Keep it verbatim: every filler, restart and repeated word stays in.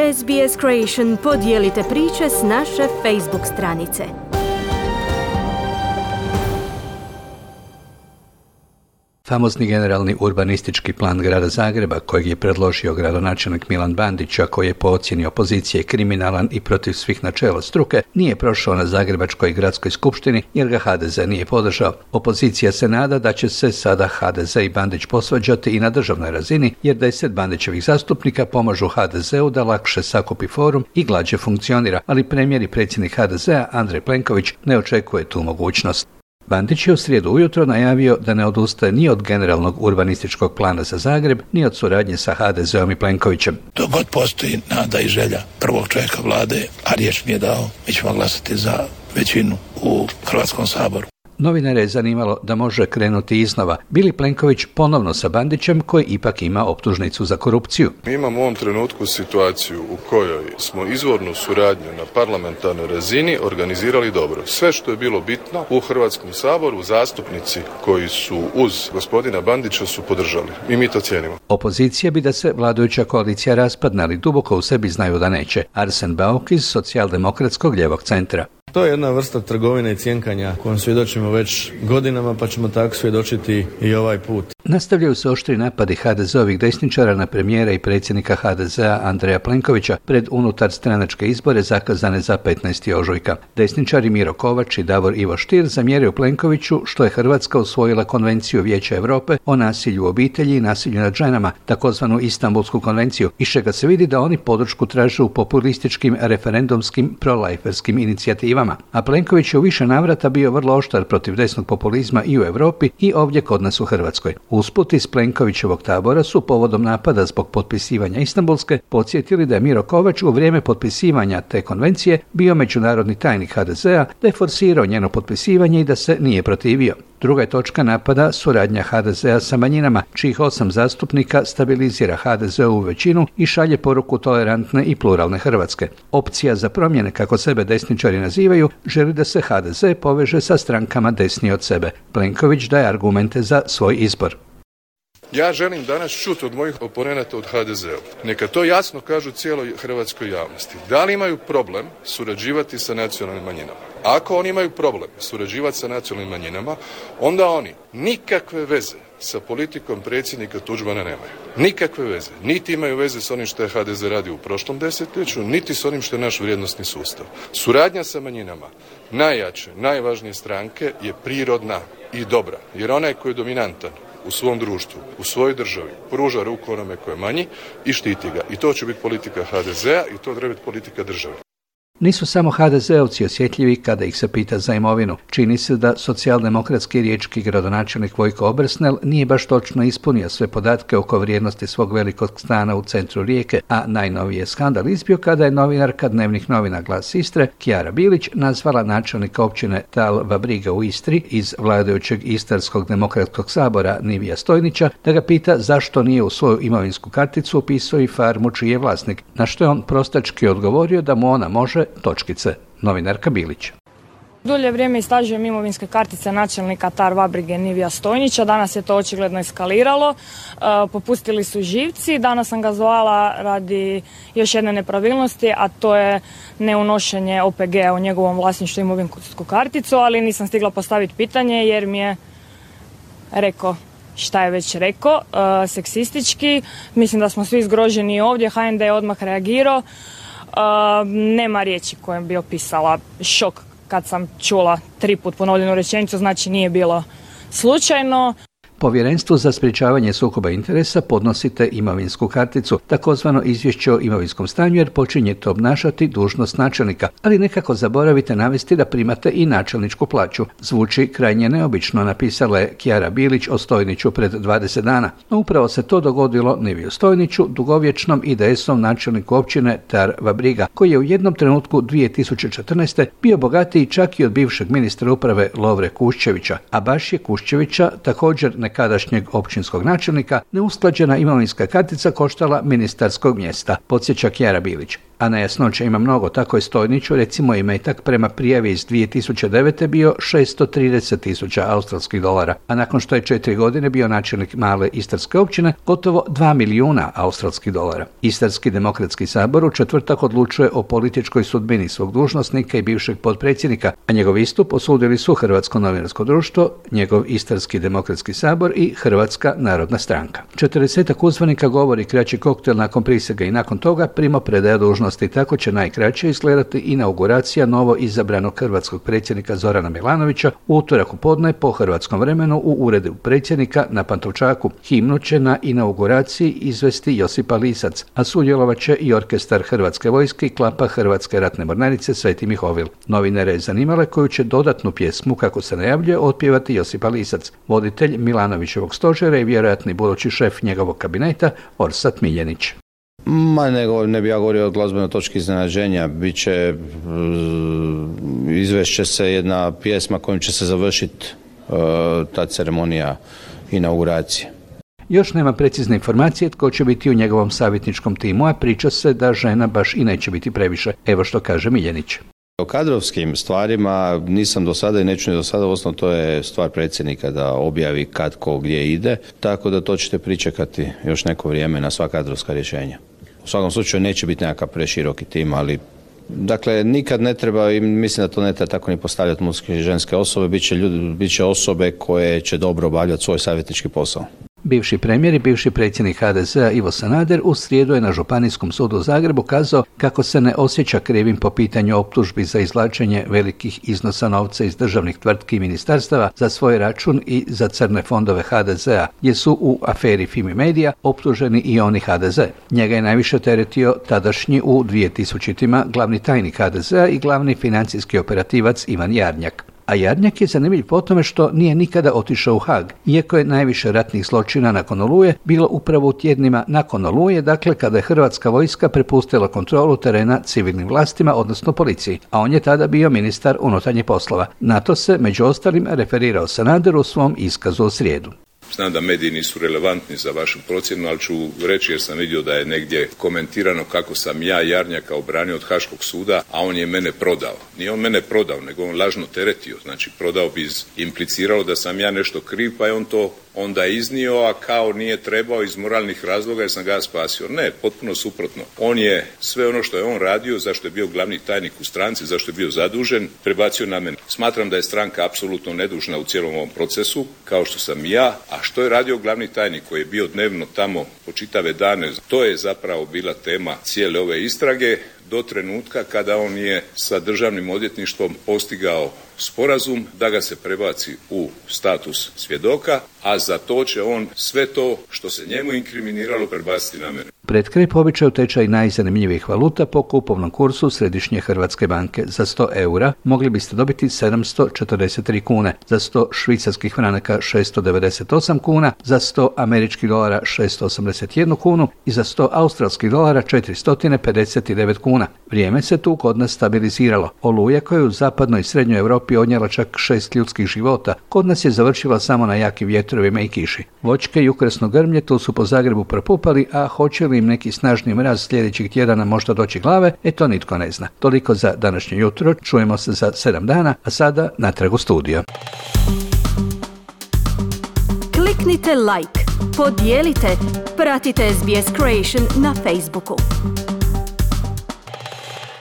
S B S Creation podijelite priče s naše Facebook stranice. Famozni generalni urbanistički plan grada Zagreba, kojeg je predložio gradonačelnik Milan Bandić, a koji je po ocjeni opozicije kriminalan i protiv svih načela struke, nije prošao na Zagrebačkoj gradskoj skupštini jer ga H D Z nije podržao. Opozicija se nada da će se sada H D Z i Bandić posvađati i na državnoj razini, jer deset Bandićevih zastupnika pomažu H D Z-u da lakše sakupi forum i glađe funkcionira, ali premijer i predsjednik H D Z-a Andrej Plenković ne očekuje tu mogućnost. Bandić je u srijedu ujutro najavio da ne odustaje ni od generalnog urbanističkog plana za Zagreb, ni od suradnje sa H D Z-om i Plenkovićem. Dok god postoji nada i želja prvog čovjeka vlade, a riječ mi je dao, mi ćemo glasati za većinu u Hrvatskom saboru. Novinare je zanimalo da može krenuti iznova. Bi li Plenković ponovno sa Bandićem, koji ipak ima optužnicu za korupciju? Mi imamo u ovom trenutku situaciju u kojoj smo izvornu suradnju na parlamentarnoj razini organizirali dobro. Sve što je bilo bitno u Hrvatskom saboru, zastupnici koji su uz gospodina Bandića su podržali. I mi to cijenimo. Opozicija bi da se vladajuća koalicija raspadne, ali duboko u sebi znaju da neće. Arsen Bauk iz socijaldemokratskog lijevog centra. To je jedna vrsta trgovine i cjenkanja kojom svjedočimo već godinama, pa ćemo tako svjedočiti i ovaj put. Nastavljaju se oštri napadi H D Z-ovih desničara na premijera i predsjednika H D Z-a Andreja Plenkovića pred unutar stranačke izbore zakazane za petnaesti ožujka. Desničari Miro Kovač i Davor Ivo Stier zamjeraju Plenkoviću što je Hrvatska usvojila Konvenciju Vijeća Europe o nasilju u obitelji i nasilju nad ženama, takozvanu Istanbulsku konvenciju, iz čega se vidi da oni podršku traže u populističkim referendumskim prolajferskim inicijativama. A Plenković je u više navrata bio vrlo oštar protiv desnog populizma i u Europi i ovdje kod nas u Hrvatskoj. Usput iz Plenkovićevog tabora su povodom napada zbog potpisivanja Istanbulske podsjetili da je Miro Kovač u vrijeme potpisivanja te konvencije bio međunarodni tajnik H D Z-a, da je forsirao njeno potpisivanje i da se nije protivio. Druga je točka napada suradnja H D Z-a sa manjinama, čijih osam zastupnika stabilizira H D Z-ovu većinu i šalje poruku tolerantne i pluralne Hrvatske. Opcija za promjene, kako sebe desničari nazivaju, želi da se H D Z poveže sa strankama desnije od sebe. Plenković daje argumente za svoj izbor. Ja želim danas čuti od mojih oponenata od H D Z-a. Neka to jasno kažu cijeloj hrvatskoj javnosti. Da li imaju problem surađivati sa nacionalnim manjinama? Ako oni imaju problem surađivati sa nacionalnim manjinama, onda oni nikakve veze sa politikom predsjednika Tuđmana nemaju. Nikakve veze. Niti imaju veze s onim što je H D Z radio u prošlom desetljeću, niti s onim što je naš vrijednosni sustav. Suradnja sa manjinama najjače, najvažnije stranke je prirodna i dobra, jer onaj koji je dominantan u svom društvu, u svojoj državi, pruža ruku onome koje je manji i štiti ga. I to će biti politika H D Z-a i to treba biti politika države. Nisu samo H D Z-ovci osjetljivi kada ih se pita za imovinu. Čini se da socijaldemokratski riječki gradonačelnik Vojko Obersnel nije baš točno ispunio sve podatke oko vrijednosti svog velikog stana u centru Rijeke, a najnoviji je skandal izbio kada je novinarka dnevnih novina Glas Istre, Kjara Bilić, nazvala načelnika općine Tal Vabriga u Istri iz vladajućeg Istarskog demokratskog sabora Nivija Stojnića da ga pita zašto nije u svoju imovinsku karticu upisao i farmu čiji je vlasnik, na što je on prostački odgovorio da mu ona može točkice. Novinarka Bilić. Dulje vrijeme istražujem imovinske kartice načelnika Tal Vabrige Nivija Stojnića. Danas je to očigledno eskaliralo. E, popustili su živci. Danas sam ga zvala radi još jedne nepravilnosti, a to je neunošenje O P G-a u njegovom vlasništvu imovinsku karticu, ali nisam stigla postaviti pitanje jer mi je rekao šta je već rekao, e, seksistički. Mislim da smo svi zgroženi ovdje. H N D je odmah reagirao. Uh, nema riječi kojom bi opisala šok kad sam čula tri put ponovljenu rečenicu, znači nije bilo slučajno. Povjerenstvu za sprječavanje sukoba interesa podnosite imovinsku karticu, takozvano izvješće o imovinskom stanju, jer počinjete obnašati dužnost načelnika, ali nekako zaboravite navesti da primate i načelničku plaću. Zvuči krajnje neobično, napisala je Kjara Bilić o Stojniću pred dvadeset dana. No upravo se to dogodilo Niviju Stojniću, dugovječnom I D S-om načelniku općine Tal Vabriga, koji je u jednom trenutku dvije tisuće četrnaeste. bio bogatiji čak i od bivšeg ministra uprave Lovre Kuščevića, a baš je Kuščevića, također nekadašnjeg općinskog načelnika, neusklađena imovinska kartica koštala ministarskog mjesta, podsjeća Kjara Bilić. A nejasnoća ima mnogo, tako je Stojniću recimo imetak prema prijavi iz dvije tisuće devete bio šesto trideset tisuća australskih dolara, a nakon što je četiri godine bio načelnik male istarske općine, gotovo dva milijuna australskih dolara. Istarski demokratski sabor u četvrtak odlučuje o političkoj sudbini svog dužnosnika i bivšeg potpredsjednika, a njegov istup osudili su Hrvatsko novinarsko društvo, njegov Istarski demokratski sabor i Hrvatska narodna stranka. četrdesetak uzvanika govori kraći koktel nakon prisege i nakon toga primopredaja dužnosti. Tako će najkraće izgledati inauguracija novo izabranog hrvatskog predsjednika Zorana Milanovića u utorak u podne po hrvatskom vremenu u uredu predsjednika na Pantovčaku. Himnu će na inauguraciji izvesti Josipa Lisac, a sudjelovat će i orkestar Hrvatske vojske i klapa Hrvatske ratne mornarice Sveti Mihovil. Novinare je zanimale koju će dodatnu pjesmu, kako se najavljuje, otpjevati Josipa Lisac, voditelj Milanovićevog stožera i vjerojatni budući šef njegovog kabineta Orsat Miljenić. Ma ne, ne bi ja govorio o glazbenoj točki iznenađenja. Biće, izvešće se jedna pjesma kojom će se završiti uh, ta ceremonija inauguracije. Još nema precizne informacije tko će biti u njegovom savjetničkom timu, a priča se da žena baš i neće biti previše. Evo što kaže Miljenić. O kadrovskim stvarima nisam do sada i neću ni do sada, osnovno to je stvar predsjednika da objavi kad ko gdje ide, tako da to ćete pričekati još neko vrijeme na sva kadrovska rješenja. U svakom slučaju neće biti nekakav preširoki tim, ali dakle nikad ne treba, i mislim da to ne treba tako ni postavljati muške i ženske osobe, bit će, ljudi, bit će osobe koje će dobro obavljati svoj savjetnički posao. Bivši premijer i bivši predsjednik ha de zea Ivo Sanader u srijedu je na Županijskom sudu u Zagrebu kazao kako se ne osjeća krivim po pitanju optužbi za izvlačenje velikih iznosa novca iz državnih tvrtki i ministarstava za svoj račun i za crne fondove ha de zea, gdje su u aferi Fimi Media optuženi i oni ha de ze. Njega je najviše teretio tadašnji u dvije tisućitima glavni tajnik ha de zea i glavni financijski operativac Ivan Jarnjak. A Jarnjak je zanimljiv po tome što nije nikada otišao u Haag, iako je najviše ratnih zločina nakon Oluje bilo upravo u tjednima nakon Oluje, dakle kada je hrvatska vojska prepustila kontrolu terena civilnim vlastima, odnosno policiji, a on je tada bio ministar unutarnjih poslova. Na to se, među ostalim, referirao Sanader u svom iskazu u srijedu. Znam da mediji nisu relevantni za vašu procjenu, ali ću reći jer sam vidio da je negdje komentirano kako sam ja Jarnjaka obranio od Haškog suda, a on je mene prodao. Nije on mene prodao, nego on lažno teretio. Znači, prodao bi impliciralo da sam ja nešto kriv, pa je on to onda iznio, a kao nije trebao iz moralnih razloga jer sam ga spasio. Ne, potpuno suprotno. On je sve ono što je on radio, zašto je bio glavni tajnik u stranci, zašto je bio zadužen, prebacio na mene. Smatram da je stranka apsolutno nedužna u cijelom ovom procesu, kao što sam ja, a što je radio glavni tajnik koji je bio dnevno tamo po čitave dane, to je zapravo bila tema cijele ove istrage do trenutka kada on je sa državnim odvjetništvom postigao sporazum da ga se prebaci u status svjedoka, a za to će on sve to što se njemu inkriminiralo prebaciti na mene. Pred kraj po običaju tečaj najzanimljivijih valuta po kupovnom kursu Središnje Hrvatske banke. Za sto eura mogli biste dobiti sedamsto četrdeset tri kune, za sto švicarskih franaka šesto devedeset osam kuna, za sto američkih dolara šesto osamdeset jednu kunu i za sto australskih dolara četiristo pedeset devet kuna. Vrijeme se tu kod nas stabiliziralo. Oluja koja je u zapadnoj i srednjoj Europi odnijela čak šest ljudskih života, kod nas je završila samo na jakim vjetrovima i kiši. Voćke i ukrasno grmlje tu su po Zagrebu propupali, a hoće li im neki snažni mraz sljedećih tjedana možda doći glave, e to nitko ne zna. Toliko za današnje jutro, čujemo se za sedam dana, a sada natrag u studio. Kliknite like, podijelite, pratite es be es Creation na Facebooku.